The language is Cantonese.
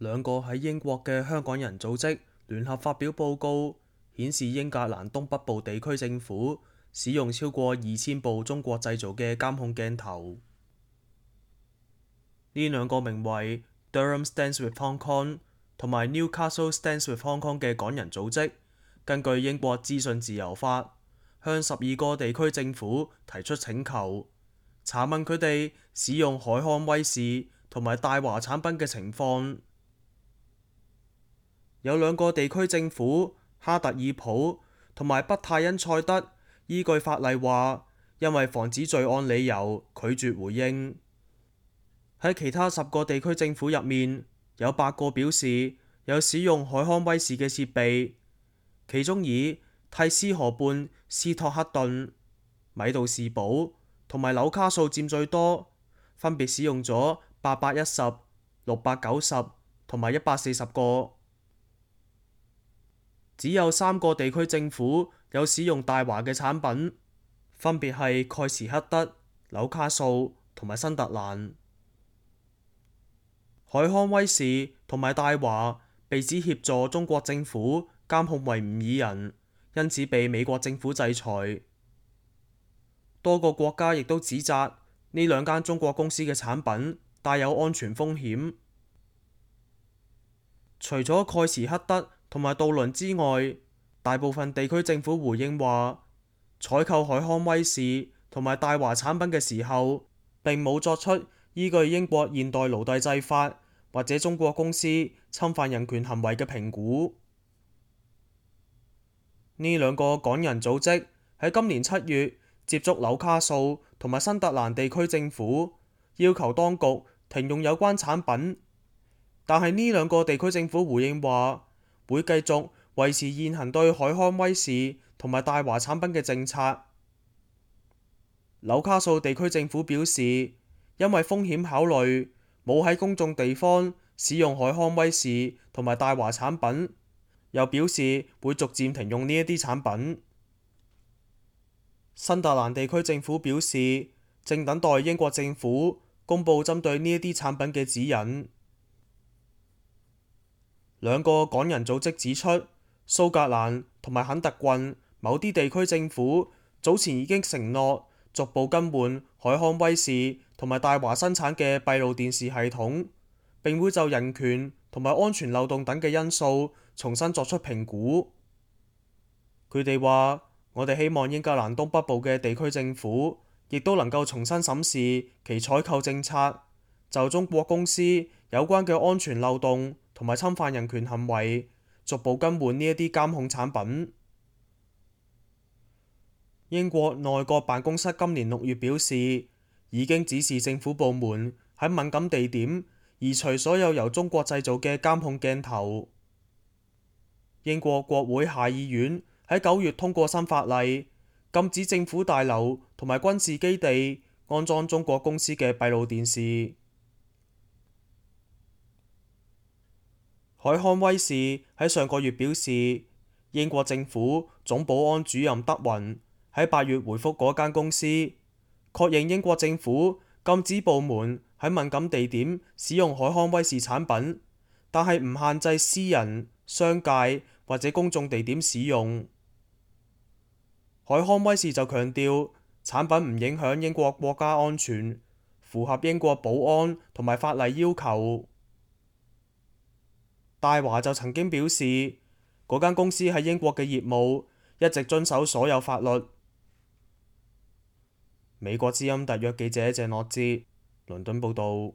兩個喺英國嘅香港人組織聯合發表報告，顯示英格蘭東北部地區政府使用超過2000部中國製造嘅監控鏡頭。呢兩個名為 Durham Stands with Hong Kong 同埋 Newcastle Stands with Hong Kong 嘅港人組織，根據英國資訊自由法，向12個地區政府提出請求，查問佢哋使用海康威視同埋大華產品嘅情況。有兩個地區政府哈特爾普同埋北泰因塞德依據法例話，因為防止罪案理由拒絕回應。喺其他10個地區政府入面，有8個表示有使用海康威視嘅設備，其中以蒂斯河畔斯托克頓、米杜士堡同埋紐卡素佔最多，分別使用咗810、690同埋140個。只有3個地區政府有使用大華嘅產品，分別係蓋茨克德、紐卡素同埋新特蘭。海康威視同埋大華被指協助中國政府監控維吾爾人，因此被美國政府制裁。多個國家亦都指責呢兩間中國公司嘅產品帶有安全風險。除咗蓋茨克德同埋杜倫之外，大部分地區政府回應話，採購海康威視同埋大華產品嘅時候，並冇作出依據英國現代奴隸制法或者中國公司侵犯人權行為嘅評估。呢兩個港人組織喺今年7月接觸紐卡素同埋新特蘭地區政府，要求當局停用有關產品，但係呢兩個地區政府回應話，會繼續維持現行對海康威視同埋大華產品嘅政策。紐卡素地區政府表示，因為風險考慮，冇喺公眾地方使用海康威視同埋大華產品，又表示會逐漸停用呢一啲產品。新特蘭地區政府表示，正等待英國政府公佈針對呢一啲產品嘅指引。兩個港人組織指出，蘇格蘭同埋肯特郡某啲地區政府早前已經承諾逐步更換海康威視同埋大華生產嘅閉路電視系統，並會就人權同埋安全漏洞等嘅因素重新作出評估。佢哋話，我哋希望英格蘭東北部嘅地區政府亦都能夠重新審視其採購政策，就中國公司有關嘅安全漏洞同埋侵犯人權行為，逐步更換呢一啲監控產品。英國內閣辦公室今年6月表示，已經指示政府部門喺敏感地點移除所有由中國製造嘅監控鏡頭。英國國會下議院喺9月通過新法例，禁止政府大樓同埋軍事基地安裝中國公司嘅閉路電視。海康威視喺上個月表示，英國政府總保安主任德雲喺8月回覆嗰間公司，確認英國政府禁止部門喺敏感地點使用海康威視產品，但係唔限制私人、商界或者公眾地點使用。海康威視就強調，產品唔影響英國國家安全，符合英國保安同埋法例要求。大華就曾經表示，嗰間公司喺英國嘅業務一直遵守所有法律。美國之音特約記者謝諾哲，倫敦報導。